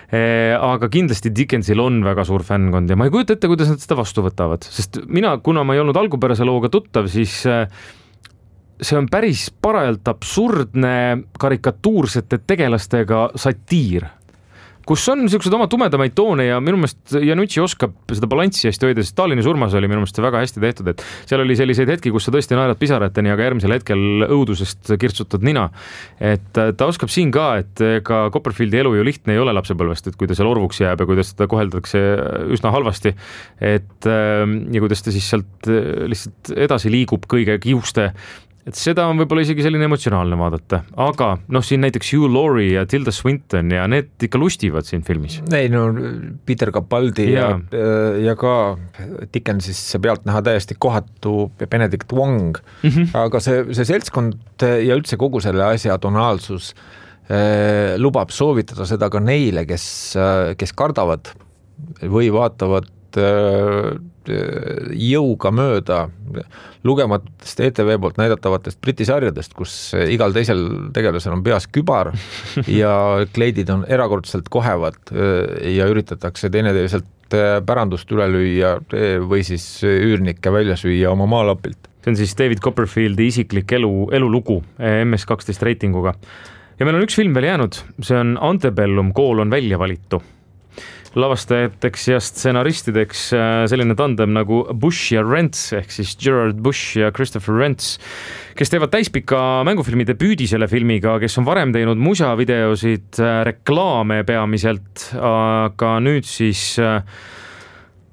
Aga kindlasti Dickensil on väga suur fännkond ja ma ei kujuta ette, kuidas nad seda vastu võtavad, sest kuna ma ei olnud algupärase looga tuttav, siis see on päris parajalt absurdne karikatuursete tegelastega satiir, kus on niisugused oma tumedamaid toone ja minu meelest Iannucci oskab seda balanssi hästi hoida, sest Stalini surmas oli minu meelest väga hästi tehtud, et seal oli selliseid hetki, kus sa tõesti naerad pisarateni, aga järgmisel hetkel õudusest kirtsutad nina. Et ta oskab siin ka, et ka Copperfieldi elu ju lihtne ei ole lapsepõlvest, et kui ta seal orvuks jääb ja kuidas ta koheldakse üsna halvasti, et ja kuidas ta siis sealt lihtsalt edasi liigub kõige kiuste. Et seda on võib-olla isegi selline emotsionaalne vaadata, aga siin näiteks Hugh Laurie ja Tilda Swinton ja need ikka lustivad siin filmis. Ei, Peter Capaldi ja ka Dickensisse pealt näha täiesti kohatu Benedict Wong, aga see seltskond ja üldse kogu selle asja tonaalsus lubab soovitada seda ka neile, kes kardavad või vaatavad jõuga mööda lugematutest ETV poolt näidatavatest Briti sarjadest, kus igal teisel tegelasel on peas kübar ja kleidid on erakordselt kohevad ja üritatakse teineteiselt pärandust üle lüüa või siis üürnikke välja süüa oma maalapilt. See on siis David Copperfieldi isiklik elulugu MS12 reitinguga. Ja meil on üks film veel jäänud, see on Antebellum, kool on välja valitu. Lavastajateks ja stsenaristideks selline tandem nagu Bush ja Rents ehk siis Gerard Bush ja Christopher Rents, kes teevad täispika mängufilmi debüüdi selle filmiga, kes on varem teinud musavideosid, reklaame peamiselt, aga nüüd siis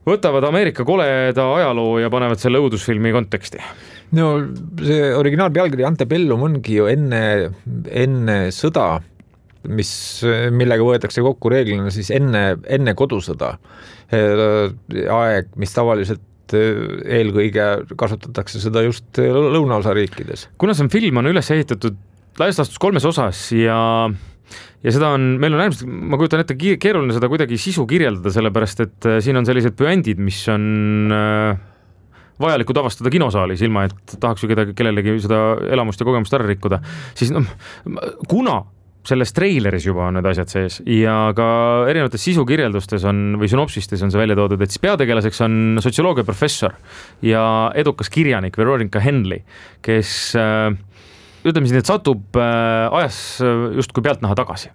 võtavad Ameerika koleda ajaloo ja panevad selle õudusfilmi konteksti. No see originaalpealkiri Antebellum ongi ju enne sõda, millega võetakse kokku reeglina siis enne kodusõda aeg, mis tavaliselt eelkõige kasutatakse seda just lõunaosa riikides. Kuna see film on üles ehitatud laias laastus 3 osas ja seda on, meil on äärmiselt, ma kujutan ette, keeruline seda kuidagi sisu kirjeldada, sellepärast et siin on sellised püändid, mis on vajalikud avastada kinosaalis, ilma et tahaks ju kellelegi seda elamust ja kogemust ära rikkuda, siis kuna selles treileris juba on need asjad sees ja ka erinevates sisukirjeldustes on või synopsistes on see välja toodud, et siis peategelaseks on sotsioloogia professor ja edukas kirjanik Veronica Henley, kes ütleme siis, et satub ajas justkui pealtnaha tagasi.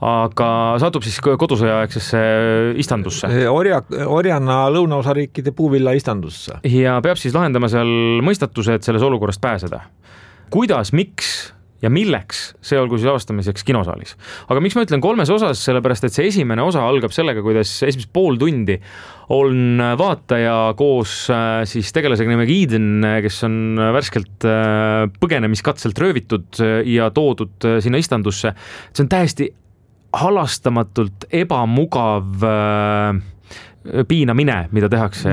Aga satub siis kodusõjaaegsesse istandusse. Orjana lõunaosariikide puuvilla istandusse. Ja peab siis lahendama seal mõistatuse, et selles olukorrast pääseda. Kuidas, miks ja milleks, see olgu siis avastamiseks kinosaalis. Aga miks ma ütlen 3 osas, sellepärast et see esimene osa algab sellega, kuidas esimest pool tundi on vaataja koos siis tegelasega nimega Eden, kes on värskelt põgenemiskatselt röövitud ja toodud sinna istandusse. See on täiesti halastamatult ebamugav piinamine, mida tehakse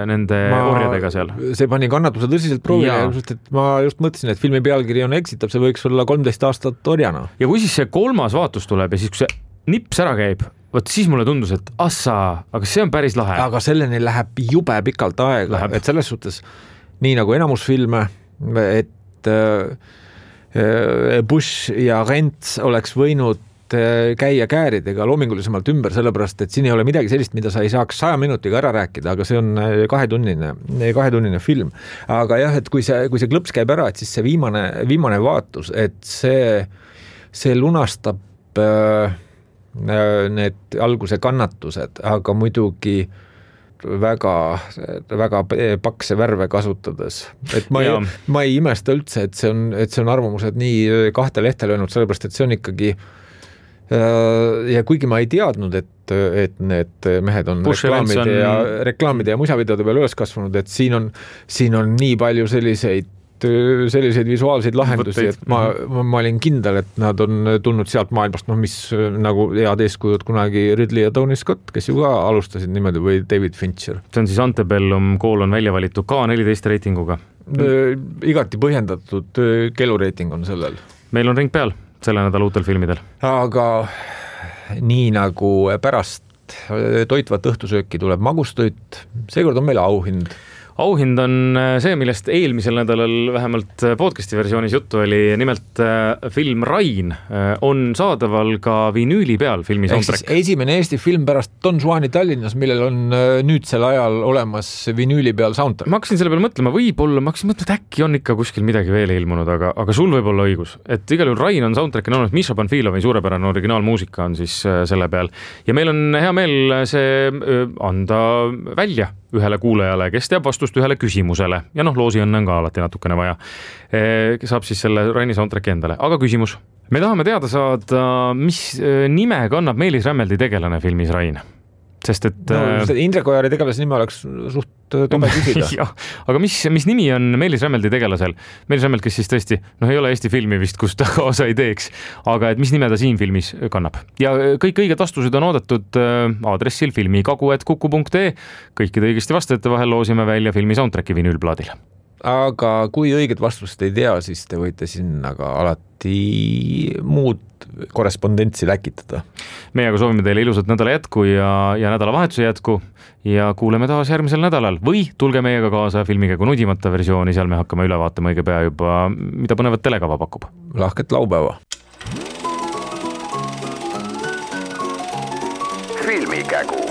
nende orjadega seal. See pani kannatuse tõsiselt proovile, et ma just mõtlesin, et filmi pealkiri on eksitab, see võiks olla 13 aastat orjana. Ja kui siis see 3. vaatus tuleb ja siis kui see nips ära käib, võt siis mulle tundus, et aga see on päris lahe. Aga selleni läheb jube pikalt aega, et selles suhtes nii nagu enamus filme, et Bush ja Rents oleks võinud käia kääridega loomingulisemalt ümber, sellepärast, et siin ei ole midagi sellist, mida sa ei saaks 100 minutiga ära rääkida, aga see on 2-tunnine film. Aga jah, et kui see klõps käib ära, et siis see viimane vaatus, et see lunastab need alguse kannatused, aga muidugi väga, väga pakse värve kasutades. Et ma ei imesta üldse, et see on arvamused nii 2 lehte löönud, sellepärast, et see on ikkagi ja kuigi ma ei teadnud, et need mehed on reklaamide ja musavideode peal üles kasvanud, et siin on nii palju selliseid visuaalseid lahendusi, et ma olin kindel, et nad on tulnud sealt maailmast, mis nagu head eeskujud kunagi Ridley ja Tony Scott, kes ju ka alustasid niimoodi, või David Fincher. See on siis Antebellum, kool on välja valitud K14 reitinguga. Igati põhjendatud kelureiting on sellel. Meil on ring peal selle nädala uutel filmidel. Aga nii nagu pärast toitvat õhtusööki tuleb magustoit, seekord on meil auhind. Auhind on see, millest eelmisel nädalal vähemalt podcasti versioonis juttu oli, nimelt film Rain on saadaval ka vinüüli peal filmi soundtrack. Esimene Eesti film pärast Don Juani Tallinnas, millel on nüüdsel ajal olemas vinüüli peal soundtrack. Ma hakkasin selle peale mõtlema, võib-olla, ma hakkasin mõtlema, et äkki on ikka kuskil midagi veel ilmunud, aga sul võib olla õigus. Et igal juhul Rain on soundtrack on olnud, Misha Panfilovi suurepärane originaalmuusika on siis selle peal. Ja meil on hea meel see anda välja ühele kuulajale, kes teab vastust ühele küsimusele. Ja loosi õnne on ka alati natukene vaja. Saab siis selle Raini soundtracki endale. Aga küsimus. Me tahame teada saada, mis nime kannab Meelis Rämmeldi tegelane filmis Rain. Sest et Indrek Ojari tegelase nime oleks suht tobe küsida. Ja, aga mis nimi on Meelis Rämmeldi tegelasel? Meelis Rämmeld, kes siis tõesti, ei ole Eesti filmi vist, kus ta kaasa ei teeks, aga et mis nime ta siin filmis kannab. Ja kõik õiged vastused on oodatud aadressil filmikagu@kuku.ee. Kõikide õigesti vastajate vahel loosime välja filmi soundtracki vinüülplaadil. Aga kui õiget vastust ei tea, siis te võite sinna ka alati muud korrespondentsi läkitada. Meie aga soovime teile ilusat nädala jätku ja nädalavahetuse jätku ja kuuleme taas järgmisel nädalal või tulge meiega kaasa filmikäigu nudimata versiooni, seal me hakkame üle vaatama õige pea juba, mida põnevat telekava pakub. Lahket laupäeva. Filmikägu.